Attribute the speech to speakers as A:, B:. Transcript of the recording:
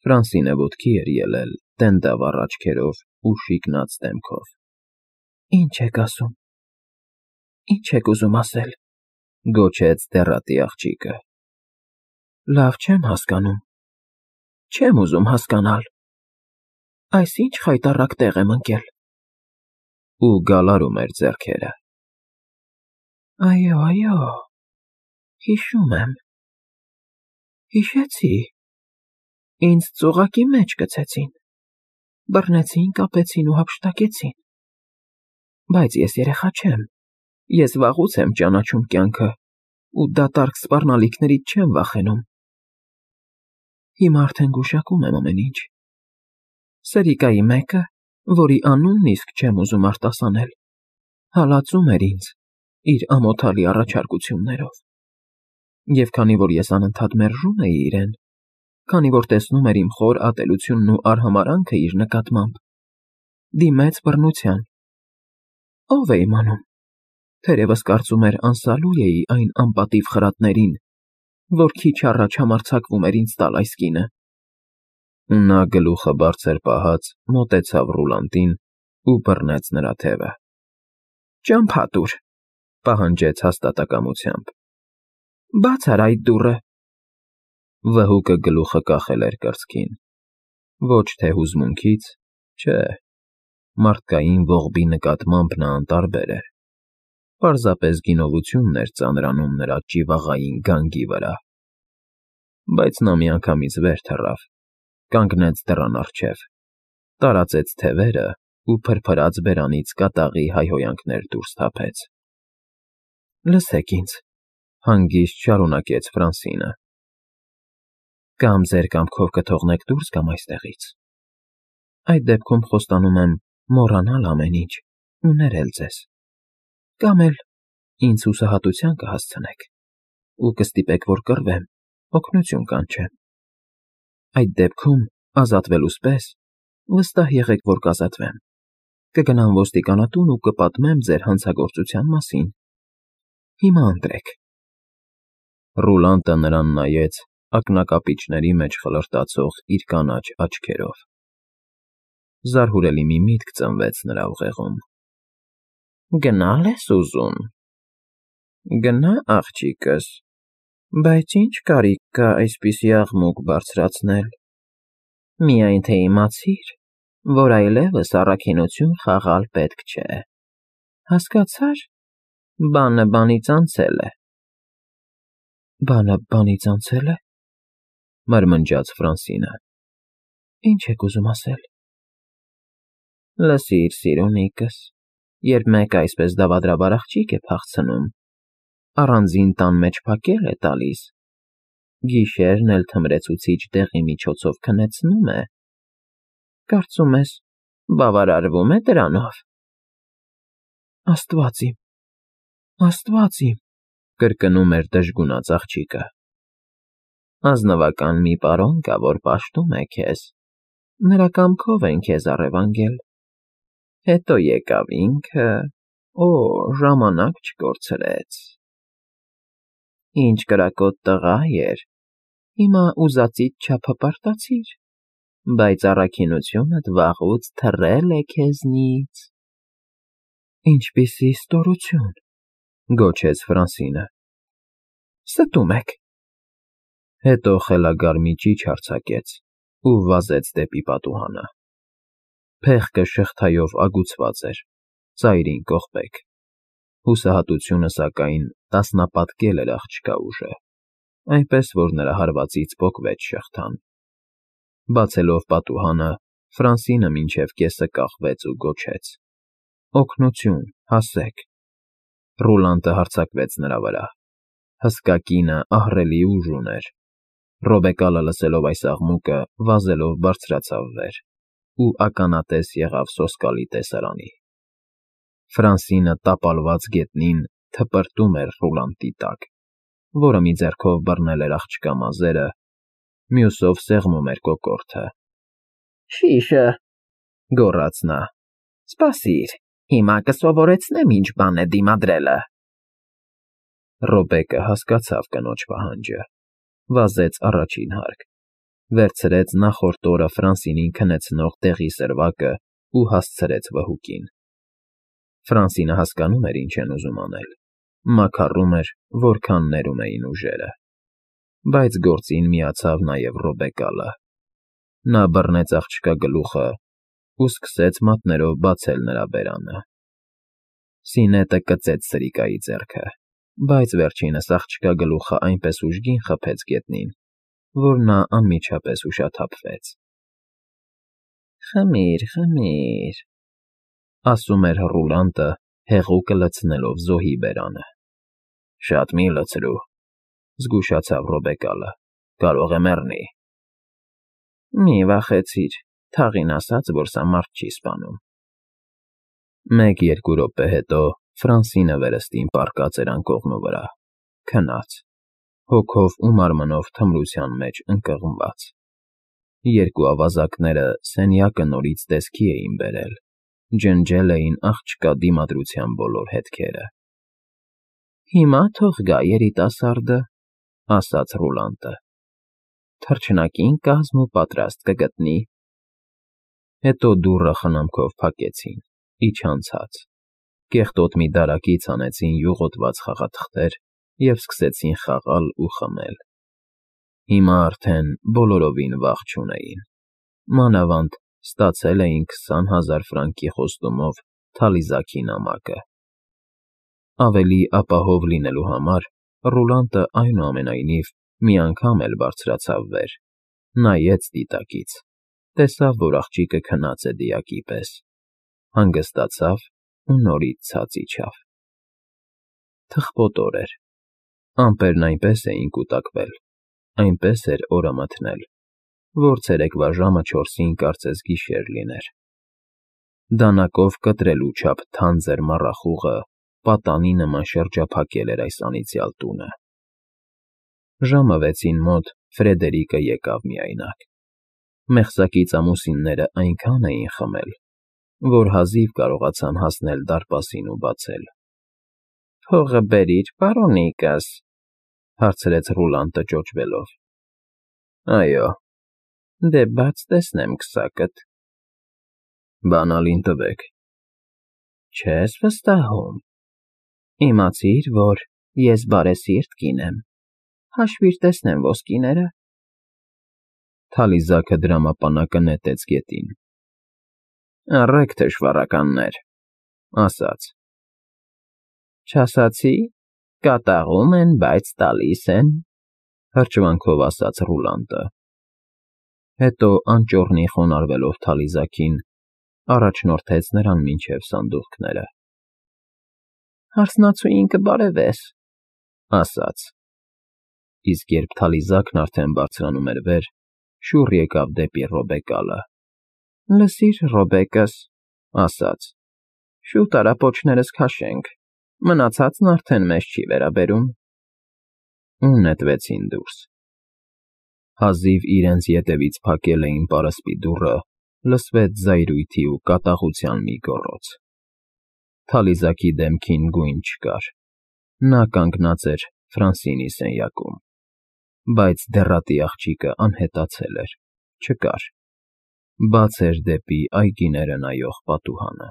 A: Ֆրանսինը ոտքի էր ելել, տենդավառ աչքերով ու շիկնած դեմքով։ Ինչ եք ասում։ Ինչ եք ուզում ասել, գոչեց դեռատի աղջիկը։ Լավ չեմ հասկանում։ Չեմ ուզում հասկանալ։ Այս ինչ խայտառակ տեղ եմ ընկել։ Ու գալարում էր ձեռքերը։ Այո, հիշում եմ։ Հիշեցի։ Ինձ ծուղակի մեջ գցեցին, բռնեցին, կապեցին ու հափշտակեցին։ Բայց ես երեխա չեմ, ես վաղուց եմ ճանաչում կյանքը ու դատարկ սպառնալիքներից չեմ վախենում։ Հիմա արդեն գուշակում եմ ամեն ինչ։ Սերիկայի մեկը, որի անունն իսկ չեմ ուզում արտասանել, հալածում էր ինձ իր ամոթալի առաջարկություններով։ Եվ քանի որ ես անընդհատ մերժում էի իրեն, քանի որ տեսնում էր իմ խոր ատելությունն ու արհամարհանքը իր նկատմամբ, դիմեց բռնության։ Ով է իմանում, թերևս կարծում էր անսալու էի այն անպատիվ խրատներին, որ քիչ առաջ համարձակվում էր ինձ տալ այս կինը։ Ու նա գլուխը բարձր պահած մոտեցավ Ռուլանդին ու բռնեց նրա թևը։ Ճամփա տուր, պահանջեց հաստատակամությամբ։ Բաց արա այդ դուռը։ Վհուկը գլուխը կախել էր կրծքին։ Ոչ թե հուզմունքից, չէ, մարդկային ողբի նկատմամբ նա անտարբեր էր։ Պարզապես գինովությունն էր ծանրանում նրա ճիվաղային գանգի վրա։ Բայց նա միանգամից վեր թռավ, կանգնեց դռան առջև, տարածեց թևերը ու փրփրած բերանից կատաղի հայհոյանքներ դուրս թափեց։ Լսեք ինձ, հանգիստ շարունակեց Ֆրանսինը։ Կամ ձեր կամքով կթողնեք դուրս գամ այստեղից։ Այդ դեպքում խոստանում եմ մոռանալ ամեն ինչ ու ներել ձեզ։ Կամ էլ ինձ հուսահատության կհասցնեք ու կստիպեք, որ կռվեմ, օգնություն կանչեմ։ Այդ դեպքում, ազատվելուց պես, վստահ եղեք, որ կազատվեմ։ Կգնամ ոստիկանատուն ու կպատմեմ ձեր հանցագործության մասին։ Հիմա ընտրեք։ Ռուլանդը նրան նայեց ակնակապիճների մեջ խլրտացող իր կանաչ աչքերով։ Զարհուրելի մի միտք ծնվեց նրա ուղեղում։ Գնալ ես ուզում։ Գնա, աղջիկս, բայց ինչ կարիք կա այսպիսի աղմուկ բարձրացնել։ Միայն թե իմացիր, որ այլևս առաքինություն խաղալ պետք չէ։ Հասկացա՞ր, բանը բանից անցել է։ Բանը բանից անցել է, մրմնջաց Ֆրանսինը։ Ինչ եք ուզում ասել։ Լսիր, սիրունիկս, երբ մեկը այսպես դավադրաբար աղջիկ է փախցնում, առանձին տան մեջ փակել է տալիս, գիշերն էլ թմրեցուցիչ դեղի միջոցով քնեցնում է։ Կարծում ես, բավարարվում է դրանով։ Աստված իմ, կրկնում էր դժգունած աղջիկը։ Ազնվական մի պարոն կա, որ պաշտում է քեզ, նրա կամքով են քեզ առևանգել։ Հետո եկավ ինքը, ժամանակ չկորցրեց։ Ինչ կրակոտ տղա էր, հիմա ուզածիդ չափը պարտացիր, բայց առաքինությունդ վաղուց թռել է քեզնից։ Ինչպիսի ստորություն, գոչեց Ֆրանսինը։ Ստում եք։ Հետո խելագար մի ճիչ արձակեց ու վազեց դեպի պատուհանը։ Փեղկը շղթայով ագուցված էր, ծայրին կողպեք։ Հուսահատությունը, սակայն, տասնապատկել էր աղջկա ուժը, այնպես որ նրա հարվածից պոկվեց շղթան։ Բացելով պատուհանը, Ֆրանսինը մինչև կեսը կախվեց ու գոչեց. Օգնություն, հասեք։ Ռուլանդը հարձակվեց նրա վրա։ Հսկա կինը ահռելի ուժ ուներ։ Ռոբեկալը լսելով այս աղմուկը, վազելով բարձրացավ վեր ու ականատես եղավ սոսկալի տեսարանի։ Ֆրանսինը տապալված գետնին թպրտում էր Ռուլանդի տակ, որը մի ձեռքով բռնել էր աղջկա մազերը, մյուսով սեղմում էր կոկորդը։ Շիշը, գոռաց նա, սպասիր, հիմա կսովորեցնեմ ինչ բան է դիմադրելը։ Ռոբեկը հասկացավ կնոջ պահանջը, վազեց առաջին հարկ, Վերցրեց նախորդ օրը Ֆրանսինին քնեցնող դեղի սրվակը ու հասցրեց վհուկին։ Ֆրանսինը հասկանում էր, ինչ են ուզում անել, մաքառում էր, որքան ներում էին ուժերը, բայց գործին միացավ նաև Ռոբեկալը։ Նա բռնեց աղջկա գլուխը ու սկսեց մատներով բացել նրա բերանը։ Սինետը կծեց սրիկայի ձեռքը, բայց վերջինս աղջկա գլուխը այնպես ուժգին խփեց գետնին, որ նա անմիջապես ուշաթափվեց։ «Խմիր, խմիր», ասում էր Ռուլանտը, հեղուկը լցնելով զոհի բերանը։ «Շատ մի լցրու», զգուշացավ Ռոբեկալը, կարող է մեռնի։ «Մի վախեցիր, թաղին ասաց, որ սա մարդ չի սպանում»։ 1-2 րոպե հետո Ֆրանսինը վերստին պառկած էր անկողնու վրա, քնած, հոգով ու մարմնով թմրության մեջ ընկղմված։ Երկու ավազակները սենյակը նորից տեսքի էին բերել, ջնջել էին աղջկա դիմադրության բոլոր հետքերը։ «Հիմա թող գա երիտասարդը», ասաց Ռուլանտը։ «Թռչնակին կազմ ու պատրաստ կգտնի»։ Հետո դուռը խնամքով փակեցին, իջան ցած, կեղտոտ մի դարակից հանեցին յուղոտված խաղաթղթեր և սկսեցին խաղալ ու խմել։ Հիմա արդեն բոլորովին վախ չունեին, մանավանդ ստացել էին 20,000 ֆրանկի խոստումով թալիզաքի նամակը։ Ավելի ապահով լինելու համար Ռուլանտը այնուամենայնիվ մի անգամ էլ բարձրացավ վեր, նայեց դիտակից, տեսավ, որ աղջիկը քնած է դիակի պես, հանգստացավ ու նորից ցած իջավ։ Թխպոտոր էր, ամպերն այնպես էին կուտակվել, այնպես էր օրը մթնել, որ ցերեկվա ժամը 4-ին կարծես գիշեր լիներ։ Դանակով կտրելու չափ թանձր մառախուղը պատանի նման շրջափակել էր այս անիծյալ տունը։ Ժամը 6-ին մոտ Ֆրեդերիկը եկավ միայնակ։ Մեղսակից ամուսինները այնքան էին խմել, որ հազիվ կարողացան հասնել դարպասին ու բացել։ «Փողը բերիր, պարոնիկս», հարցրեց Ռուլանտը ճոճվելով։ «Այո»։ «Դե բաց տեսնեմ քսակդ»։ «Բանալին տվեք»։ «Չես վստահում։ Իմացիր, որ ես բարեսիրտ կին եմ, հաշվիր տեսնեմ ոսկիները»։ Թալիզակը դրամապանակը նետեց գետին։ «Առեք, թշվառականներ», ասաց։ «Չասացի, կատաղում են, բայց տալիս են», հրճվանքով ասաց Ռուլանտը։ Հետո անճոռնի խոնարհվելով թալիզակին, առաջնորդեց նրան մինչև սանդուղքները։ «Հարսնացուին կբարևես», ասաց։ Իսկ երբ թալիզակն արդեն բարձրանում էր վեր, շուռ եկավ դեպի Ռոբեկալը։ «Լսիր, Ռոբեկս», ասաց, «շուտ արա պոչներս քաշենք, մնացածն արդեն մեզ չի վերաբերում»։ Ու նետվեցին դուրս։ Հազիվ իրենց ետևից փակել էին պարսպի դուռը, լսվեց զայրույթի ու կատաղության մի գոռոց։ Թալիզակի դեմքին գույն չկար։ Նա կանգնած էր Ֆրանսինի սենյակում, բայց դեռատի աղջիկը անհետացել էր, չկար։ Բաց էր դեպի այգիները նայող պատուհանը։